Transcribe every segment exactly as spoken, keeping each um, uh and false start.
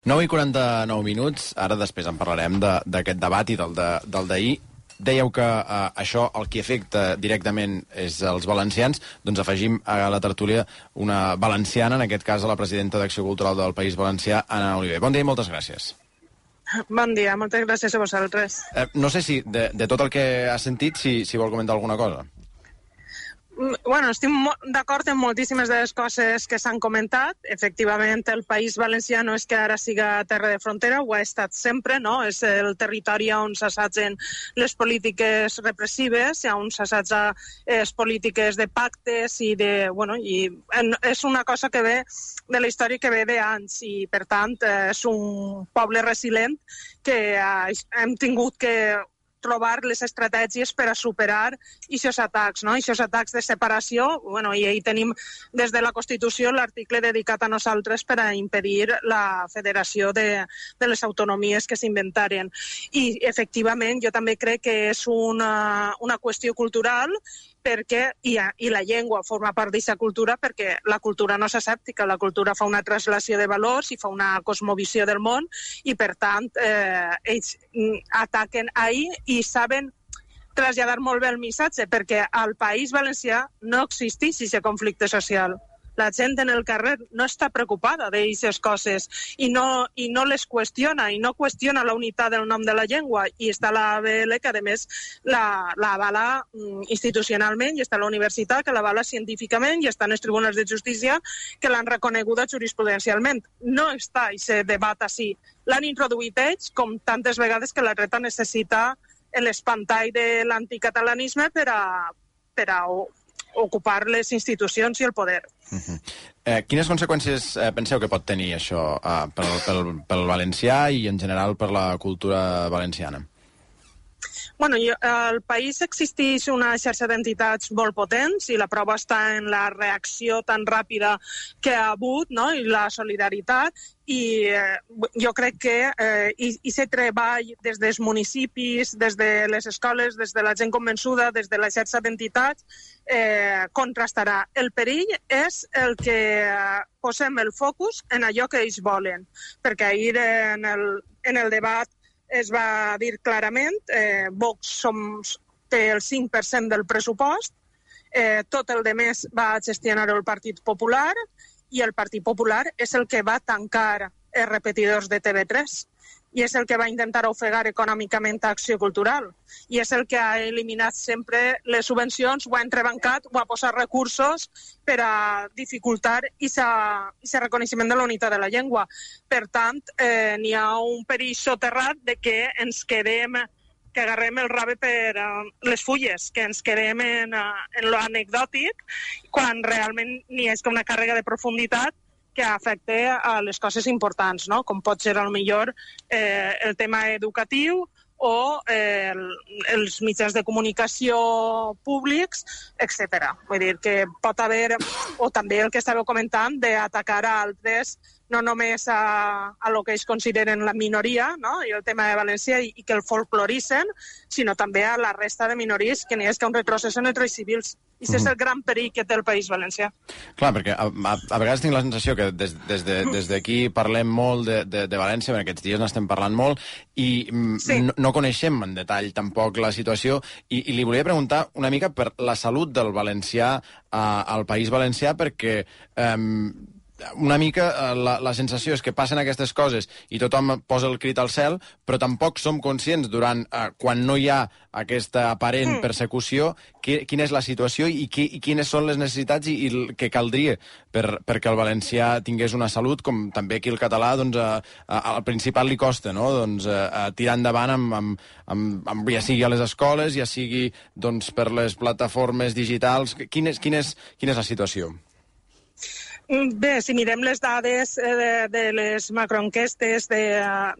nou i quaranta-nou minuts, ara després en parlarem d'aquest debat i del d'ahir. Dèieu que eh, això el que afecta directament és els valencians, doncs afegim a la tertúlia una valenciana, en aquest cas a la presidenta d'Acció Cultural del País Valencià, Anna Oliver. Bon dia i moltes gràcies. Bon dia, moltes gràcies a vosaltres. Eh, no sé si de, de tot el que has sentit, si, si vol comentar alguna cosa. Bueno, estic d'acord en moltíssimes de les coses que s'han comentat. Efectivament, el País Valencià no és que ara siga terra de frontera, ho ha estat sempre, no? És el territori on s'assatgen les polítiques repressives, on s'assatja les polítiques de pactes i de... Bueno, i és una cosa que ve de la història que ve d'anys i, per tant, és un poble resilient que hem tingut que trobar les estratègies per a superar aquests atacs, no? Aquests atacs de separació, bueno, i ahí tenim des de la Constitució l'article dedicat a nosaltres per a impedir la federació de, de les autonomies que s'inventaren. I, efectivament, jo també crec que és una, una qüestió cultural perquè, i, i la llengua forma part d'aquesta cultura perquè la cultura no és asèptica, la cultura fa una translació de valors i fa una cosmovisió del món i, per tant, eh, ells ataquen ahir i saben traslladar molt bé el missatge perquè al País Valencià no existeix aquest conflicte social. La gent en el carrer no està preocupada d'aquestes coses i no, i no les qüestiona, i no qüestiona la unitat del nom de la llengua. I està la A B L, que a més la, la avala institucionalment, i està la universitat, que l'avala científicament, i estan els tribunals de justícia, que l'han reconeguda jurisprudencialment. No està aquest debat així. L'han introduït ells, com tantes vegades que la dreta necessita l'espantall de l'anticatalanisme per a, per a ocupar les institucions i el poder. Uh-huh. eh, quines conseqüències eh, penseu que pot tenir això eh, pel, pel, pel valencià i en general per la cultura valenciana? Bueno, jo, al país existeix una xarxa d'entitats molt potents i la prova està en la reacció tan ràpida que ha hagut, no? I la solidaritat. I eh, jo crec que eh, i, i se treball des dels municipis, des de les escoles, des de la gent convençuda, des de la xarxa d'entitats, eh, contrastarà. El perill és el que eh, posem el focus en allò que ells volen, perquè ahir en el, en el debat es va dir clarament, eh, Vox som, té el cinc per cent del pressupost, eh, tot el de més va gestionar el Partit Popular i el Partit Popular és el que va tancar els repetidors de T V tres i és el que va intentar ofegar econòmicament a Acció Cultural i és el que ha eliminat sempre les subvencions, ho ha entrebancat, ho ha posat recursos per a dificultar aquest reconeixement de la unitat de la llengua. Per tant, eh, n'hi ha un perill soterrat de que ens quedem, que agarrem el rave per uh, les fulles, que ens quedem en, uh, en lo anecdòtic, quan realment n'hi és com una càrrega de profunditat que afecta a les coses importants, no? Com pot ser, a lo millor, eh, el tema educatiu o eh, el, els mitjans de comunicació públics, etcètera. Vull dir que pot haver, o també el que estàveu comentant, d'atacar a altres, no només a, a lo que ells consideren la minoria, no? I el tema de València, i, i que el folcloritzen, sinó també a la resta de minories, que n'hi és que un retrocés en els drets civils. I aquest és el gran perill que té el País Valencià. Clar, perquè a, a, a vegades tinc la sensació que des, des de, des d'aquí parlem molt de, de, de València, perquè aquests dies n'estem parlant molt, i sí. no, no coneixem en detall tampoc la situació, i, i li volia preguntar una mica per la salut del valencià uh, al País Valencià, perquè... Um, una mica la, la sensació és que passen aquestes coses i tothom posa el crit al cel, però tampoc som conscients durant eh, quan no hi ha aquesta aparent mm. persecució, qui, quina és la situació i, qui, i quines són les necessitats i, i el que caldria per, perquè el valencià tingués una salut, com també aquí el català, doncs, a, a, al Principat li costa, no? Doncs, a, a tirar endavant amb, amb, amb, amb, ja sigui a les escoles, ja sigui doncs, per les plataformes digitals. Quina és, quina és, quina és la situació? Bé, si mirem les dades de, de les macroenquestes de,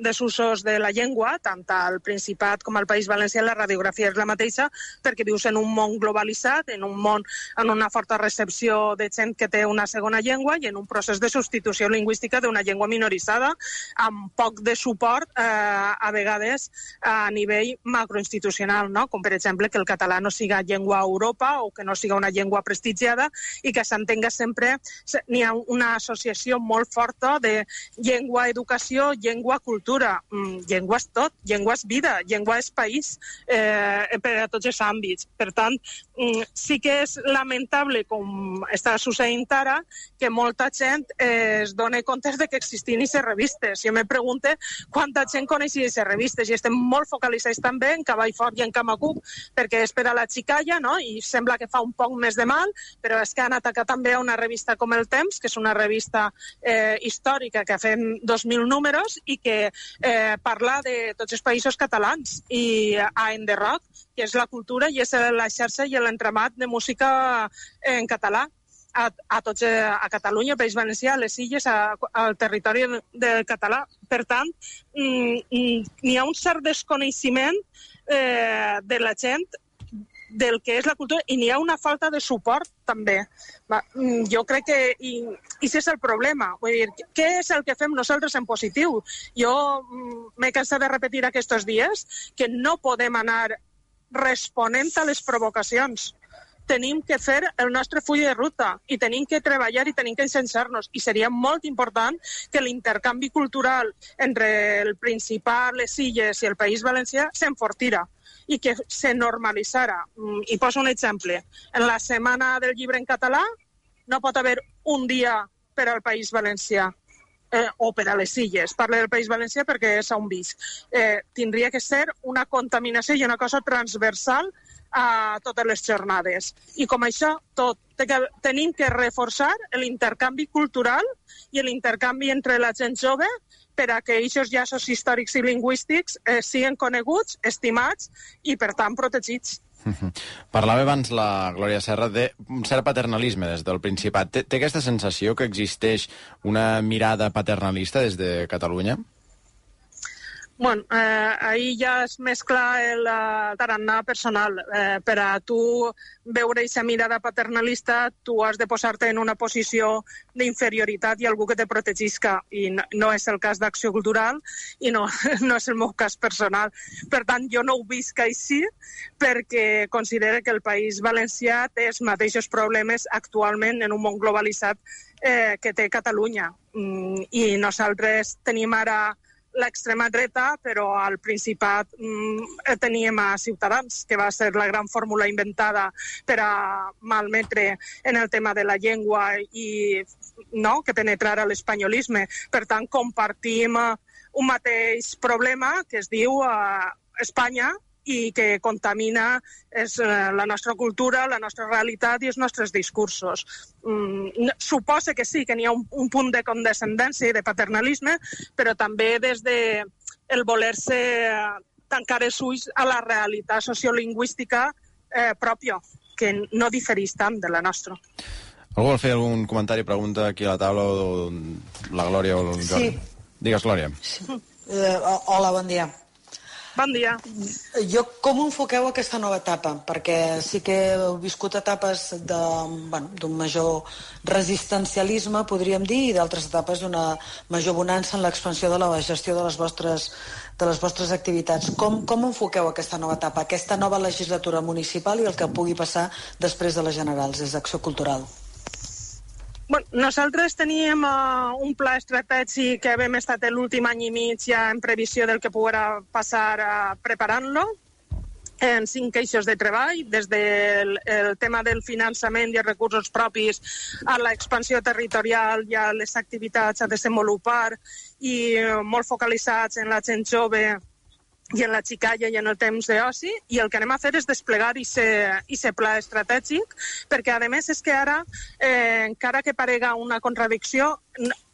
de usos de la llengua, tant al Principat com al País Valencià, la radiografia és la mateixa, perquè vius en un món globalitzat, en un món amb una forta recepció de gent que té una segona llengua i en un procés de substitució lingüística d'una llengua minoritzada, amb poc de suport, eh, a vegades, a nivell macroinstitucional, no? Com per exemple que el català no siga llengua a Europa o que no siga una llengua prestigiada i que s'entenga sempre... n'hi ha una associació molt forta de llengua, educació, llengua, cultura. Mm, llengua és tot, llengua és vida, llengua és país, eh, per a tots els àmbits. Per tant, mm, sí que és lamentable, com està succeint ara, que molta gent eh, es doni compte de que existien aquestes revistes. Jo me pregunto quanta gent coneixia aquestes revistes, i estem molt focalitzats també en Cavall Fort i en Camacuc, perquè és per a la xicalla, no? I sembla que fa un poc més de mal, però és que han atacat també a una revista com El Temps, que és una revista eh, històrica que ha fet dos mil números i que eh, parla de tots els països catalans, i a Enderroc, que és la cultura i és la xarxa i l'entramat de música en català. A, a, tots, a Catalunya, País Valencià, a les Illes, a, al territori del català. Per tant, n'hi ha un cert desconeixement eh, de la gent del que és la cultura, i n'hi ha una falta de suport també. Va, jo crec que i, i ese és el problema. Vull dir, què és el que fem nosaltres en positiu? Jo m'he cansat de repetir aquests dies que no podem anar responent a les provocacions. Tenim que fer el nostre full de ruta i tenim que treballar i tenim que incensar-nos. I seria molt important que l'intercanvi cultural entre el Principat, les Illes i el País Valencià s'enfortira i que se normalitzara. I poso un exemple. En la Setmana del Llibre en català no pot haver un dia per al País Valencià eh, o per a les Illes. Parlo del País Valencià perquè és on visc. Eh, tindria que ser una contaminació i una cosa transversal a totes les jornades. I com això, tot. Tenim que reforçar l'intercanvi cultural i l'intercanvi entre la gent jove per a que aquests llaços històrics i lingüístics eh, siguin coneguts, estimats i, per tant, protegits. Parlava abans la Glòria Serra d'un cert paternalisme des del Principat. Té, té aquesta sensació que existeix una mirada paternalista des de Catalunya? Bueno, eh, ahí ja es mescla el uh, tarannà personal. Eh, per a tu veure aquesta mirada paternalista, tu has de posar-te en una posició d'inferioritat i algú que te protegisca, i no, no és el cas d'Acció Cultural i no, no és el meu cas personal. Per tant, jo no ho visc així perquè considero que el País Valencià té els mateixos problemes actualment en un món globalitzat eh, que té Catalunya. Mm, I nosaltres tenim ara l'extrema dreta, però al Principat mm, teníem a Ciutadans, que va ser la gran fórmula inventada per a malmetre en el tema de la llengua i no, que penetrara l'espanyolisme. Per tant, compartim un mateix problema que es diu uh, Espanya i que contamina és, uh, la nostra cultura, la nostra realitat i els nostres discursos. Mm, suposa que sí, que n'hi ha un, un punt de condescendència i de paternalisme, però també des de el voler-se tancar els ulls a la realitat sociolingüística eh, pròpia, que no difereix tant de la nostra. Algú vol fer algun comentari, pregunta aquí a la taula, o la Glòria o el Jordi? Sí. Digues, Glòria. Sí. Uh, hola, bon dia. Bon dia. Jo, com enfoqueu aquesta nova etapa? Perquè sí que heu viscut etapes d'un bueno, major resistencialisme, podríem dir, i d'altres etapes d'una major bonança en l'expansió de la gestió de les vostres, de les vostres activitats. Com, com enfoqueu aquesta nova etapa, aquesta nova legislatura municipal i el que pugui passar després de les generals, des d'Acció Cultural? Bueno, nosaltres teníem uh, un pla estratègic que hem estat l'últim any i mig ja en previsió del que poguera passar uh, preparant-lo, en cinc eixos de treball, des del el tema del finançament i els recursos propis a l'expansió territorial i a les activitats a desenvolupar i uh, molt focalitzats en la gent jove i en la xicalla i en el temps d'oci, i el que anem a fer és desplegar aquest pla estratègic, perquè a més és que ara, eh, encara que parega una contradicció,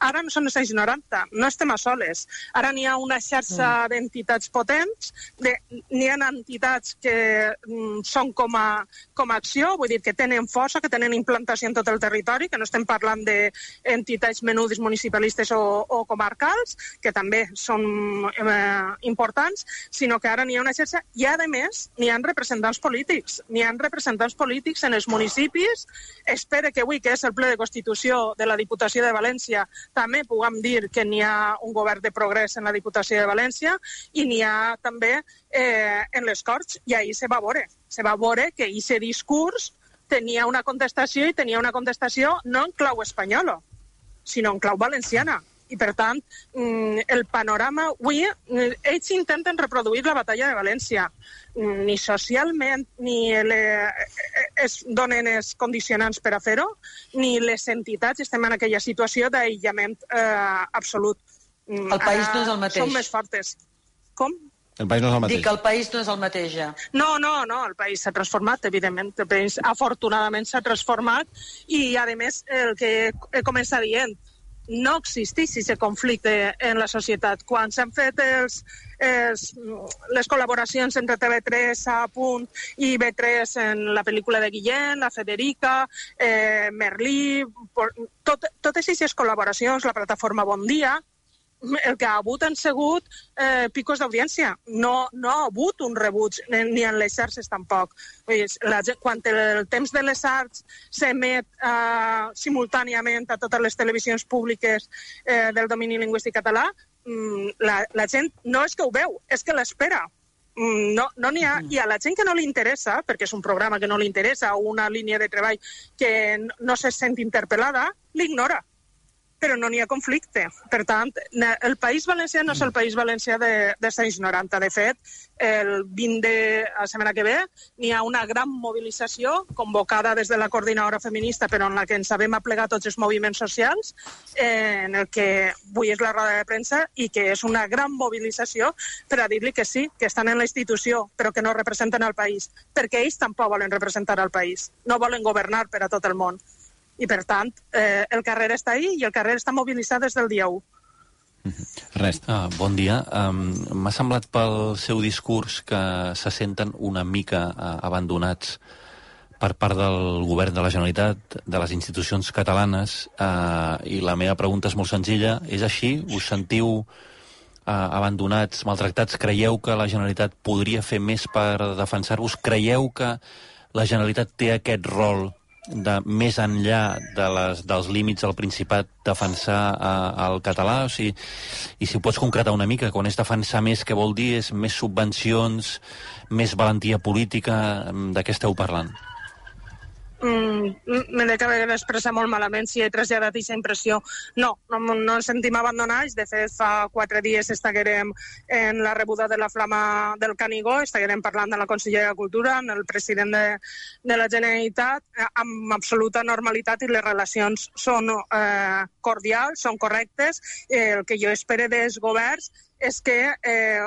ara no són els anys noranta, no estem a soles. Ara n'hi ha una xarxa mm. d'entitats potents, de, n'hi ha entitats que mm, són com a, com a acció, vull dir que tenen força, que tenen implantació en tot el territori, que no estem parlant d'entitats menudes municipalistes o, o comarcals, que també són eh, importants, sinó que ara n'hi ha una xarxa i, a més, n'hi ha representants polítics. N'hi ha representants polítics en els municipis. Espero que avui, que és el ple de Constitució de la Diputació de València, també puguem dir que n'hi ha un govern de progrés en la Diputació de València i n'hi ha també eh, en les Corts, i ahir se va veure. Se va veure que aquest discurs tenia una contestació i tenia una contestació no en clau espanyola, sinó en clau valenciana. I, per tant, el panorama... Avui, ells intenten reproduir la batalla de València. Ni socialment ni es donen els condicionants per a fer-ho, ni les entitats estem en aquella situació d'aïllament eh, absolut. El país no és el mateix. Som més fortes. Com? El país no és el mateix. Dic que el país no és el mateix, ja. No, no, no, el país s'ha transformat, evidentment. El país, afortunadament, s'ha transformat i, a més, el que he començat dient, no existeix aquest conflicte en la societat. Quan s'han fet els, els, les col·laboracions entre T V tres, A Punt i B tres en la pel·lícula de Guillén, la Federica, eh, Merlí, tot, totes aquestes col·laboracions, la plataforma Bon Dia, el que ha hagut han sigut eh, picos d'audiència. No, no ha hagut un rebuig, ni en les xarxes tampoc. La, quan el temps de les arts s'emet eh, simultàniament a totes les televisions públiques eh, del domini lingüístic català, la, la gent no és que ho veu, és que l'espera. No, no n'hi ha, i a la gent que no li interessa, perquè és un programa que no li interessa o una línia de treball que no se sent interpel·lada, l'ignora. Però no n'hi ha conflicte. Per tant, el País Valencià no és el País Valencià de, dels anys noranta. De fet, el vint de la setmana que ve n'hi ha una gran mobilització convocada des de la coordinadora feminista, però en la que ens havem aplegat tots els moviments socials, eh, en el que avui és la roda de premsa i que és una gran mobilització per a dir-li que sí, que estan en la institució, però que no representen el país, perquè ells tampoc volen representar el país. No volen governar per a tot el món. I, per tant, eh, el carrer està ahí i el carrer està mobilitzat des del dia u. Ernest. Ah, bon dia. Um, M'ha semblat pel seu discurs que se senten una mica uh, abandonats per part del govern de la Generalitat, de les institucions catalanes, uh, i la meva pregunta és molt senzilla. És així? Us sentiu uh, abandonats, maltractats? Creieu que la Generalitat podria fer més per defensar-vos? Creieu que la Generalitat té aquest rol de més enllà de les, dels límits del Principat defensar uh, el català? O sigui, i si ho pots concretar una mica, quan és defensar més, què vol dir? És més subvencions, més valentia política? De què esteu parlant? Mm, M'he d'expressar molt malament si he traslladat aquesta impressió. No, no, no ens sentim abandonats. De fet, fa quatre dies estaguerem en la rebuda de la Flama del Canigó, estaguerem parlant de la consellera de Cultura, amb el president de, de la Generalitat, amb absoluta normalitat, i les relacions són eh, cordials, són correctes. Eh, el que jo espero dels governs és que eh,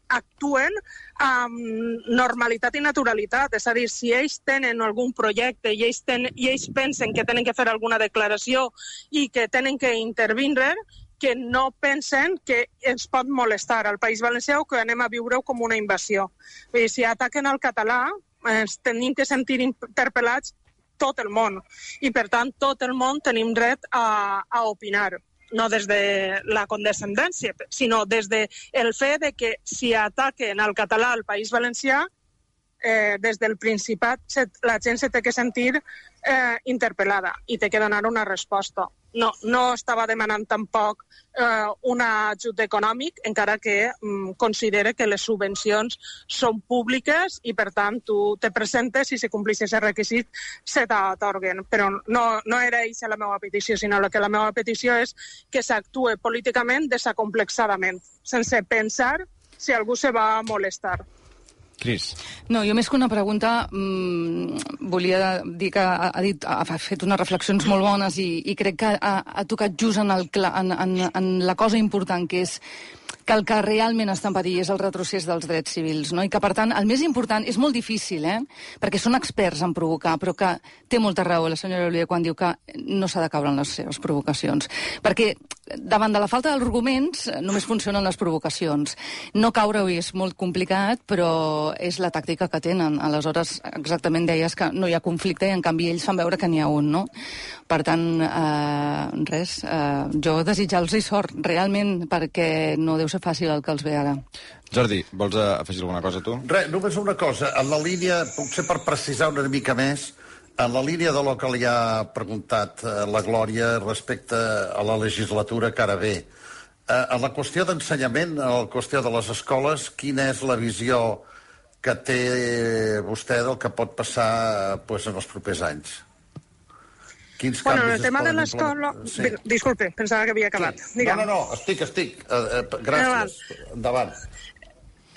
actuen amb normalitat i naturalitat. És a dir, si ells tenen algun projecte i ells, ten, i ells pensen que tenen que fer alguna declaració i que tenen que intervindre, que no pensen que ens pot molestar al País Valencià o que anem a viure com una invasió. Vull dir, si ataquen el català, ens tenim que sentir interpel·lats tot el món. I, per tant, tot el món tenim dret a, a opinar. No des de la condescendència, sinó des del fet de que si ataquen el català al País Valencià, eh, des del Principat la gent se té que sentir eh, interpel·lada i té que donar una resposta. No, no estava demanant tampoc eh, un ajut econòmic, encara que mm, considere que les subvencions són públiques i, per tant, tu te presentes i si complís aquest requisit se t'atorguen. Però no, no era aquesta la meva petició, sinó que la meva petició és que s'actue políticament desacomplexadament, sense pensar si algú se va molestar. Cris. No, jo més que una pregunta mmm, volia dir que ha, ha, dit, ha fet unes reflexions molt bones i, i crec que ha, ha tocat just en, el, en, en, en la cosa important, que és que el que realment està en perill és el retrocés dels drets civils, no? I que, per tant, el més important és molt difícil, eh? Perquè són experts en provocar, però que té molta raó la senyora Oliver quan diu que no s'ha de caure en les seves provocacions. Perquè davant de la falta d'arguments només funcionen les provocacions. No caure-hi és molt complicat, però és la tàctica que tenen. Aleshores, exactament deies que no hi ha conflicte i, en canvi, ells fan veure que n'hi ha un, no? Per tant, eh, res, eh, jo desitjar-los sort, realment, perquè no deu ser fàcil el que els ve ara. Jordi, vols afegir alguna cosa, tu? Res, només una cosa. En la línia, potser per precisar una mica més, en la línia de lo que li ha preguntat eh, la Glòria respecte a la legislatura que ara ve, eh, en la qüestió d'ensenyament, en la qüestió de les escoles, quina és la visió que té vostè del que pot passar pues, en els propers anys? Quins bueno, canvis el tema de es poden l'escola... implementar? Sí. Disculpe, pensava que havia acabat. Sí. No, no, no, estic, estic. Uh, uh, gràcies. Endavant.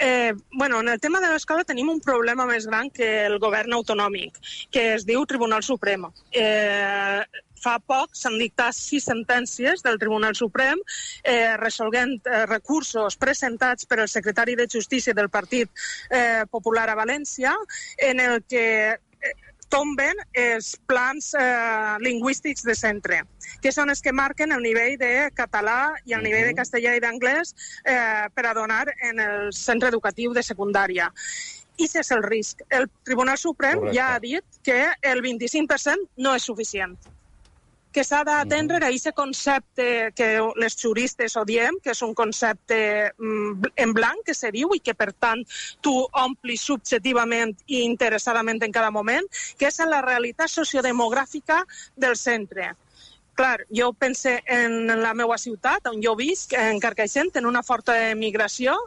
Eh, bueno, en el tema de l'escola tenim un problema més gran que el govern autonòmic, que es diu Tribunal Suprem. Eh, fa poc s'han dictat sis sentències del Tribunal Suprem eh, resolguent eh, recursos presentats per el secretari de Justícia del Partit eh, Popular a València, en el que eh, tomben els plans eh, lingüístics de centre, que són els que marquen el nivell de català i el nivell de castellà i d'anglès eh, per a donar en el centre educatiu de secundària. I ese és el risc. El Tribunal Suprem Correcte. Ja ha dit que el vint-i-cinc per cent no és suficient, que s'ha d'atendre a aquest concepte que les juristes odiem, que és un concepte en blanc, que se diu, i que, per tant, tu omplis subjectivament i interessadament en cada moment, que és la realitat sociodemogràfica del centre. Clar, jo pense en la meva ciutat, on jo visc, en Carcaixent, en una forta migració.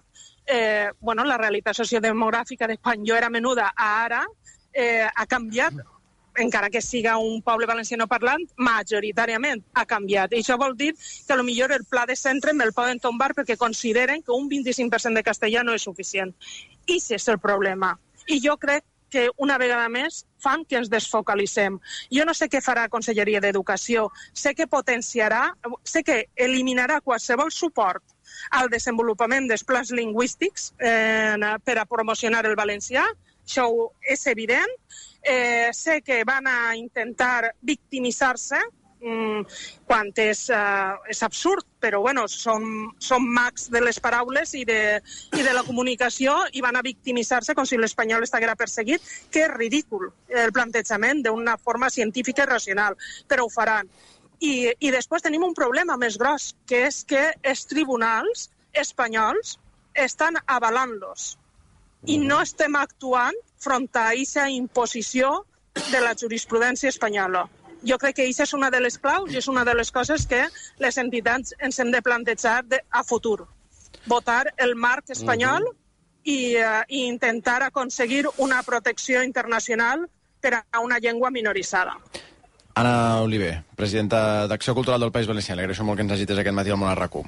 Eh, bueno, la realitat sociodemogràfica de quan jo era menuda a ara eh, ha canviat, encara que siga un poble valenciano parlant, majoritàriament ha canviat. I això vol dir que potser el pla de centre me'l poden tombar perquè consideren que un vint-i-cinc per cent de castellà no és suficient. I ese és el problema. I jo crec que una vegada més fan que ens desfocalitzem. Jo no sé què farà la Conselleria d'Educació, sé que potenciarà, sé que eliminarà qualsevol suport al desenvolupament dels plans lingüístics eh, per a promocionar el valencià, això és evident. Eh, sé que van a intentar victimitzar-se, mm, quan és, uh, és absurd, però bueno, són, són mags de les paraules i de, i de la comunicació, i van a victimitzar-se com si l'espanyol estiguera perseguit, que és ridícul el plantejament d'una forma científica i racional, però ho faran. I, i després tenim un problema més gros, que és que els tribunals espanyols estan avalant-los i no estem actuant front a aquesta imposició de la jurisprudència espanyola. Jo crec que aquesta és una de les claus i és una de les coses que les entitats ens hem de plantejar de, a futur. Votar el marc espanyol i, uh, i intentar aconseguir una protecció internacional per a una llengua minoritzada. Anna Oliver, presidenta d'Acció Cultural del País Valencià. Li agraeixo molt que ens agites aquest matí al Món a RAC u.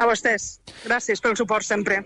A vostès. Gràcies pel suport sempre.